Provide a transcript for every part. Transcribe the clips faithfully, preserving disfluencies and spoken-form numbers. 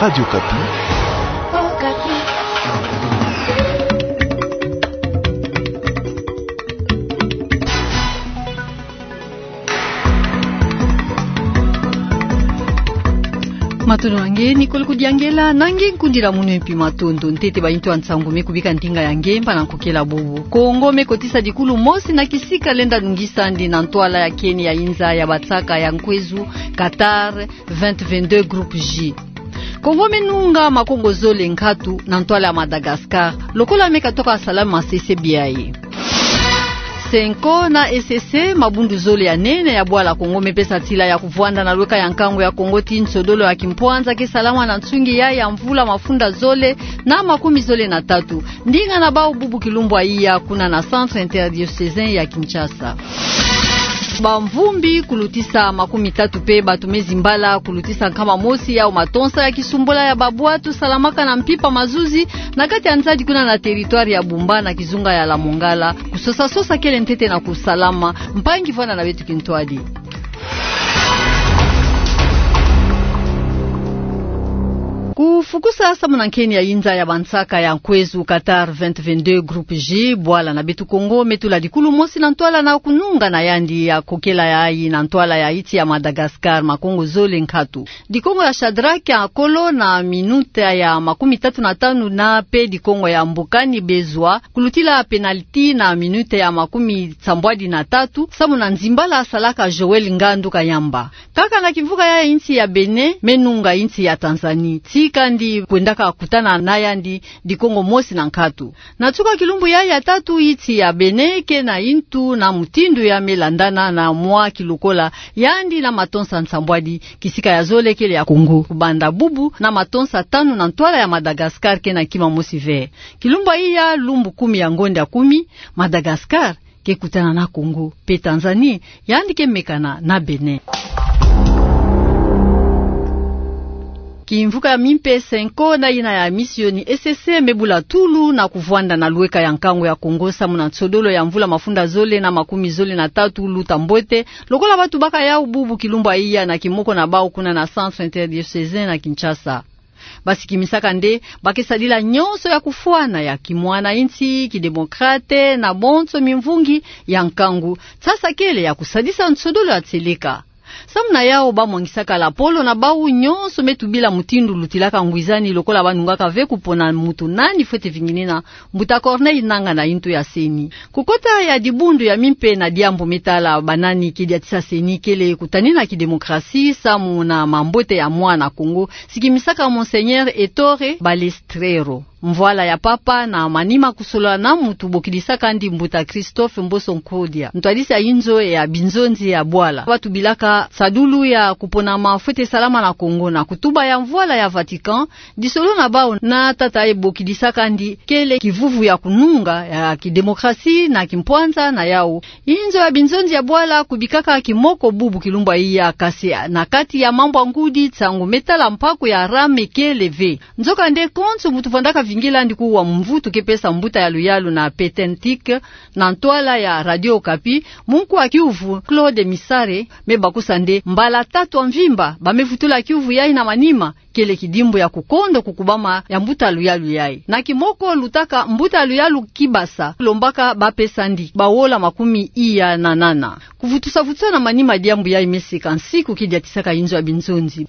Radio Okapi. Matondo na nge, Nicole Kudiangela, na nge nkundila munu mpi matondo. Ntete ba intu ya nsangu me kubika ndinga ya nge mpe na nkokela bubu. Kongo me kotisa dikulu mosi na kisika lenda nungisa ndi na ntwala ya keni ya inza ya bansaka ya nkwezu Qatar vingt vingt-deux groupe J. Kongo me nunga makongo zole nkatu na ntwala ya Madagascar, lokola me katoka salama sese biai. Cenco na E C C, mabundu zole ya nene ya bwala Kongo me pesa nsila ya kuvwanda na lweka ya nkangu ya Kongo ti nsodolo ya kimpwanza ke salama na nsungi ya, ya mvula mafunda zole na makumi zole na tatu. Ndinga na bau bubu kilumbu ya iya kuna na Centre Interdiocésain ya Kinshasa. Bamvumbi kulutisa makumi tatu mpe bato me zimbala kulutisa nkama mosi yau matonsa ya kisumbula ya babwatu salamaka na mpimpa mazuzi na kati ya nzadi kuna na territoire ya Bumba na kizunga ya Lamongala. Kusosa-sosa kele ntete na kusalama. Mpangi vwanda na beto kintwadi. Kufukusa samu na nkeni ya inza ya bansaka ya nkwezu Qatar vingt vingt-deux groupe J, bwala na beto Kongo me tula dikulu mosi na ntwala na kununga na yandi ya kokela yayi na ntwala ya insi ya Madagascar, makongo zole nkatu. Dikongo ya Shadrack ya kolo na minuta ya makumi tatu na tanu na mpe dikongo ya Mbokani Bezwa kulutila penalti na minuta ya makumi sambwadi na tatu, samu na nzimbala salaka Joël Ngandu Kayamba. Kaka na kimvuka ya insi ya Bénin, me nunga insi ya Tanzanie. Tii kandi kwendaka kutana na yandi dikongo mosi na nkatu. Na nsuka kilumbu ya, ya tatu, insi ya Bénin ke na intu na mutindu ya me landana na mwa kilokola yandi na matonsa nsambwadi, kisika ya zole kele ya Congo. Kubanda bubu na matonsa tanu na ntwala ya Madagascar ke na kima mosi ve. Kilumbu ya iya, lumbu kumi ya ngonda kumi, Madagascar ke kutana na Congo, mpe Tanzanie yandi ke mekana na Bénin. Kimvuka ya mimpe Cenco na yina ya misioni E C C me bula tulu na kuvwanda na lweka ya nkangu ya Congo samu na nsodolo ya mvula mafunda zole na makumi zole na tatu luta mbote, lokola batubaka yau bubu kilumbu ya iya na kimoko na bau kuna na Centre Interdiocésain na Kinshasa. Basikimisaka nde ba ke sadila nyonso ya kufwana ya kimwana insi, kidemokrate, na bonso mimvungi ya nkangu, sasa kele ya kusadisa nsodolo ya nseleka. Samu na yau ba mwangisaka lapolo na bau nyonso me tubila mutindu lutilaka ngwizani lokola ba nungaka ve kupona mutu nani fwete vinginina mbuta Corneille Nangaa na intu ya CENI. Kukota ya dibundu ya mimpe na diambu me tala banani ke diatisa CENI kele kutanina kidemokrasi samu na mambote ya mwana Congo, sikimisaka Monseigneur Ettore Balestrero. Mvwala ya papa na manima kusolola na mutu bokidisaka ndi mbuta Christophe Mboso Nkodia, ntwadisi ya inzo ya binzonzi ya bwala. Ba tubilaka sadulu ya kupona ma fwete salama na Congo na kutuba ya mvwala ya Vatican, disolo na bau na tata ye bokidisaka ndi kele kivuvu ya kununga ya kidemokrasi na kimpwanza na yau. Inzo ya binzonzi ya bwala kubikaka kimoko bubu kilumbu ya iya, kasi na kati ya mambu ya ngudi, nsangu me tala mpaku ya rame kele ve. Nzokande konso mutu vandaka vingila ndi kuwa mvutu ke pesa mbuta ya luyalu na Pétain Tique na ntwala ya Radio Okapi, munku wa kiuvu Claude Misare me bakusa nde mbala tatu ya mvimba ba me vutula kiuvu yayi na manima, kele kidimbu ya kukondo kukubama ya mbuta luyalu yayi. Na kimoko lutaka mbuta luyalu Kibasa, lombaka ba pesa ndi bawola makumi iya na nana. Kuvutusa-vutusa na manima diambu yayi me seka nsiku ke diatisaka inzo ya binzonzi.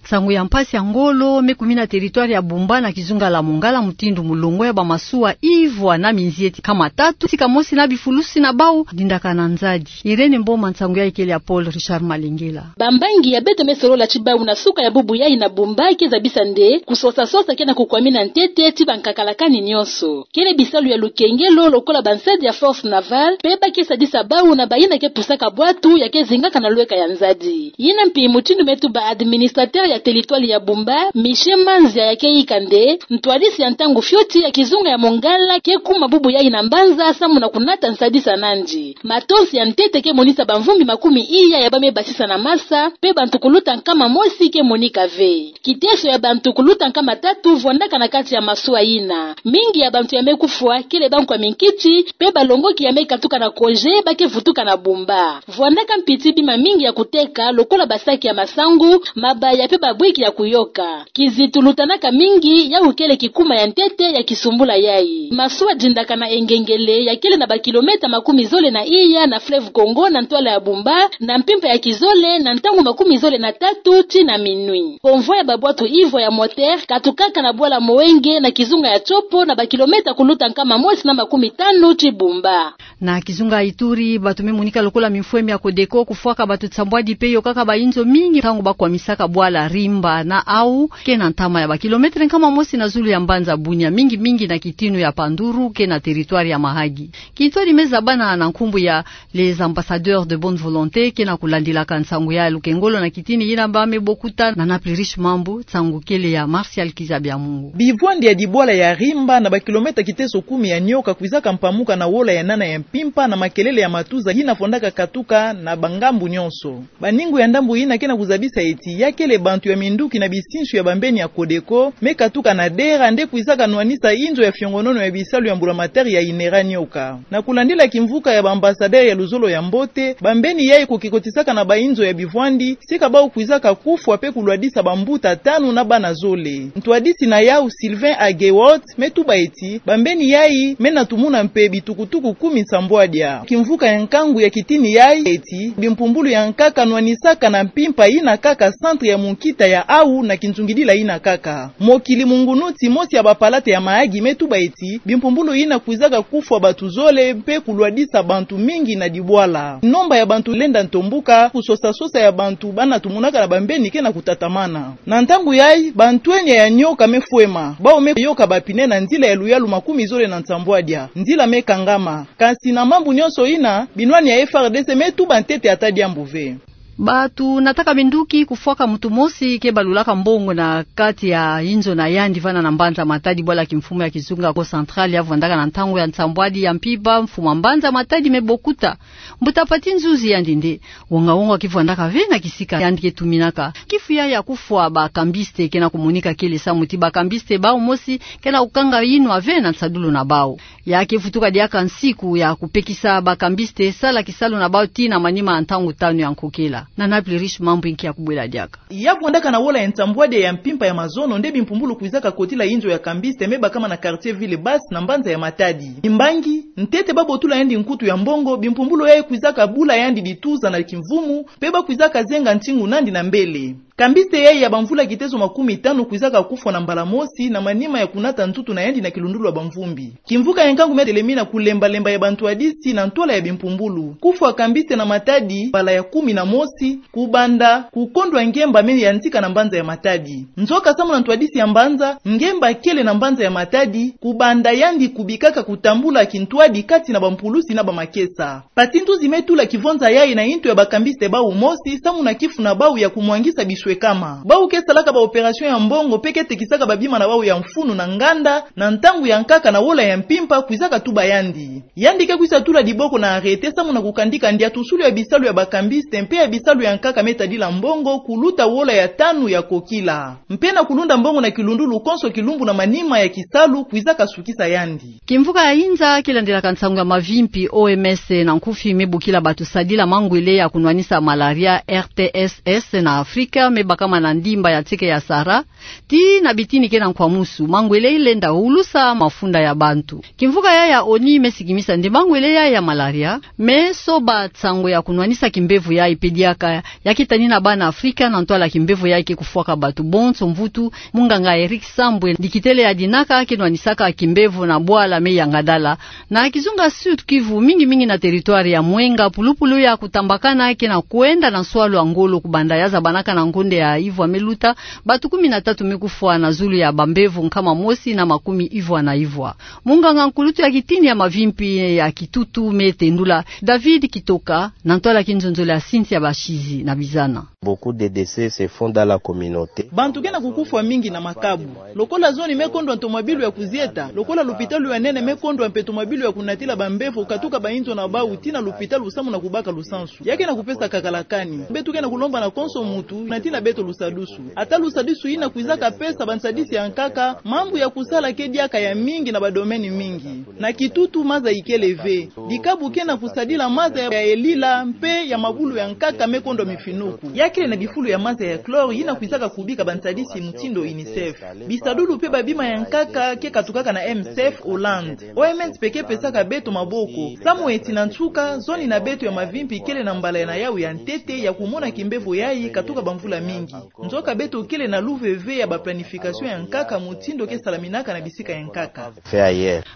Nsangu ya mpasi ya ngolo me kumina territoire ya Bumba na kizunga la Mongala mutindu mulongo ya bamasuwa ivwa na minzieti kama tatu, sika mosi na bifulusi na bau dindakana nzadi. Irène Mboma, nsangu yayi kele ya Paul Richard Malengela. Bambangi ya beto me solola ti bau na suka ya bubu yayi na Bumba ke zabisa nde kusosa-sosa ke na kukwamina ntete ti bankakalakani nyonso. Kele bisalu ya lukengelo lokola bansadi ya Force Navale, mpe ba ke sadisa bau na bayina ke pusaka bwatu ya ke zingaka na lweka ya nzadi. Yina mpi mutindu me tuba administrateur ya Na teritware ya Bumba, Michel Manzia yake yika nde ntwadisi ya ntangu fioti ya kizunga ya Mongala ke kuma bubu yayi na mbanza samu na kunata nsadisa nandi. Matonsi ya ntete ke monisa bamvumbi makumi iya ya ba me basisa na masa, mpe bantu kuluta nkama mosi ke monika ve. Kiteso ya bantu kuluta nkama tatu vwandaka na kati ya masuwa yina. Mingi ya bantu ya me kufwa kele bankwa minkiti, mpe balongoki ya me katuka na Kôjé ba ke vutuka na Bumba. Vwandaka mpiti bima mingi ya kuteka, lokola basaki ya masangu, mabaya mpe babwiki ya kuyoka. Kizitu lutanaka mingi, yawu kele kikuma ya ntete ya kisumbula yayi. Masuwa dindaka na engengele ya kele na bakilomètre makumi zole na iya na fleuve Congo na ntwala ya Bumba, na mpimpa ya kizole na ntangu makumi zole na tatu tii na minuit. Convoi ya babwatu ivwa ya moteur katukaka na bwala Moenge na kizunga ya Tshopo na bakilomètre kuluta nkama mosi na makumi tanu tii Bumba. Na kizunga ya Ituri, batu me monika lokola mimfwemi ya Codeco kufwaka batu nsambwadi mpe yokaka bainzo mingi ntangu ba kwamisaka bwala Rimba na Aou, ke na ntama ya bakilomètre nkama mosi na zulu ya mbanza Bunia, mingi mingi na kitinu ya Panduru, ke na teritware ya Mahagi. Kintwadi me zabana na nkumbu ya Les Ambassadeurs de Bonne Volonté, ke na kulandilaka nsangu ya lukengolo na kitini yina ba me bokuta. Na Naples Riche Mambu, nsangu kele ya Martial Kizabia Mungu. Bivwandi ya dibwala ya Rimba na bakilomètre kiteso kumi ya nioka kwizaka mpamuka na wola ya nana ya mpimpa na makelele ya matuza yina fondaka katuka na bangambu nyonso. Baningu ya ndambu yina ke na kuzabisa eti ya kele bantu ya minduki na bisinsu ya bambeni ya Codeco me katuka na dera nde kwizaka nwanisa inzo ya fiongonono ya bisalu ya mbulamatari ya INERA nioka. Na kulandila kimvuka ya ba ambassadeurs ya luzolo ya mbote, bambeni yayi ko ke kotisaka na bainzo ya bivwandi, sika bau kwizaka kufwa mpe kulwadisa bambuta tanu na bana zole. Ntwadisi na yau Sylvain Agewot me tuba eti bambeni yayi me na tumuna mpe bitukutuku kumi nsambwadia. Kimvuka ya nkangu ya kitini yayi eti bimpumbulu ya nkaka nwanisaka na mpimpa yina kaka centre ya munkita ya Aou na kinzungidila yina kaka. Mokili Mungunuti, mosi ya bapalate ya Mahagi, me tuba eti bimpumbulu yina kwizaka kufwa batu zole mpe kulwadisa bantu mingi na dibwala. Nomba ya bantu lenda ntombuka, kusosa-sosa ya bantu bana tumunaka na bambeni ke na kutatamana. Na ntangu yayi, bantwenia ya nioka me fwema, bau me yoka bapine na nzila ya luyalu makumi zole na nsambwadia, nzila me kangama. Kasi na mambu nyonso yina, binwani ya FRDC me tuba ntete ata diambu ve. Batu nataka minduki kufwaka muntu mosi ke balulaka mbongo na kati ya inzo na yandi vana na mbanza Matadi, bwala kimfumu ya kizunga Kongo Central ya vwandaka na ntangu ya nsambwadi ya mpimpa, mfumu ya mbanza Matadi me bokuta. Mbuta Pathy Nzuzi yandi nde wonga-wonga ke vwandaka ve na kisika yandi ke tuminaka. Kifu yayi ya kufwa ba cambistes ke na kumonika kele samu ti ba cambistes bau mosi ke na kukanga yinwa ve na nsadulu na bau. Ya ke vutuka diaka nsiku ya kupekisa ba cambistes sala kisalu na bau tii na manima ya ntangu tanu ya nkokela. Na Naples Riche Mambu nki ya kubwela diaka. Ya vwandaka na wola ya nsambwadia ya mpimpa ya mazono nde bimpumbulu kwizaka kotila inzo ya cambiste me bakama na quartier Ville Basse na mbanza ya Matadi. Kimbangi, ntete babotula yandi nkutu ya mbongo, bimpumbulu yayi kwizaka bula yandi dituza na kimvumu, mpe bakwizaka zenga ntingu nandi na mbele. Cambiste yayi ya bamvula kiteso makumi tanu kwizaka kufwa na mbala mosi na manima ya kunata nzutu na yandi na kilundulu ya bamvumbi. Kimvuka ya nkangu me telemina kulemba-lemba ya bantwadisi na ntwala ya bimpumbulu. Kufwa cambiste na Matadi mbala ya kumi na mosi, kubanda kukondwa ngemba me yantika na mbanza ya Matadi. Nzoka samu na ntwadisi ya mbanza, ngemba kele na mbanza ya Matadi, kubanda yandi kubikaka kutambula kintwadi kati na bampulusi na bamakesa. Pathy Nzuzi me tula kivonza yayi na yintu ya ba cambiste bau mosi, samu na kifu na bau ya kumwangisa biswekama. Bau ke salaka ba opération ya mbongo, mpe ke tekisaka babima na bau ya mfunu na nganda, na ntangu ya nkaka na wola ya mpimpa, kwizaka tuba yandi. Yandi ke kwisa tula diboko na arrêté, samu na kukandika ndiatusulu ya bisalu ya ba cambiste, mpe ya bisalu ya nkaka me tadila mbongo, kuluta wola ya tanu ya kokila. Mpe na kulunda mbongo na kilundulu konso kilumbu na manima ya kisalu, kwizaka sukisa yandi. Kimvuka ya inza kilandilaka nsangu ya mavimpi, O M S na nkufi, me bokila batu sadila mangwele ya kunwanisa malaria, R T S S, na Afrika, me bakama na ndimba ya nseke ya Sahara, tii na bitini ke na nkwamusu. Mangwele yi lenda ulusa mafunda ya bantu. Kimvuka yayi ya ONU me sikimisa nde mangwele yayi ya malaria, me soba nsangu ya kunwanisa kimbevo yayi mpe diaka ya ke tanina bana Afrika na ntwala kimbevo yayi ke kufwaka batu bonso mvutu. Munganga Eric Sambwe, dikitele ya dinaka ke nwanisaka kimbevo na bwala me yangadala na kizunga Sud-Kivu, mingi-mingi na territoire ya Mwenga, pulupulu ya kutambakana ke na kwenda na nswalu ya ngolo kubanda ya zabanaka na ngonda nde ya ivwa me luta, bato kumi na tatu me kufwa na zulu ya bambevo nkama mosi na makumi ivwa na ivwa. Munganga nkulutu ya kitini ya mavimpi ya kitutu me tendula, David Kitoka, na ntwala kinzonzolo ya Cynthia Bashizi na Bizana. Beaucoup de décès se font dans la communauté. Bantu ke na kukufwa mingi na makabu. Lokola zoni me kondwa ntomabilu ya kuzieta, lokola lupitalu ya nene me kondwa mpe tomabilu ya kunatila bambevo katuka bainzo na bau tii na lupitalu samu na kubaka lusansu, ya ke na kupesa kakalakani. Beto ke na kulomba na konso mutu na tii na beto lusadusu. Ata lusadusu yina kwizaka pesa bansadisi ya nkaka, mambu ya kusala ke diaka ya mingi na badomeni mingi. Na kitutu maza ikele ve. Dikabu ke na kusadila maza ya elila mpe ya mabulu ya nkaka me kondwa mifinuku. Ya kele na bifulu ya maza ya chlore yina kwizaka kubika bansadisi mutindu UNICEF. Bisadulu mpe babima ya nkaka ke katukaka na M S F Hollande. O M S mpe ke pesaka beto maboko. Samu eti na nsuka, zoni na beto ya mavimpi kele na mbala ya nayau ya ntete ya kumona kimbevo yayi katuka bamvula mingi. Nzoka beto kele na luve ve ya ba planification ya nkaka mutindu ke salaminaka na bisika ya nkaka.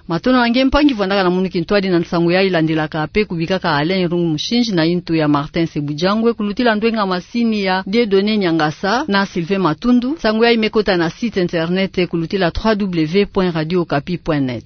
Matondo na nge mpangi vwandaka na munu kintwadi na nsangu yayi landilaka mpe kubikaka Alain Rungu Mushinji na intu ya Martin Sebujangwe kulutila ndwenga masini ya Dieudonné Niangasa na Sylvain Matundu. Nsangu yayi me kota na site internet kulutila trois W point radio okapi point net.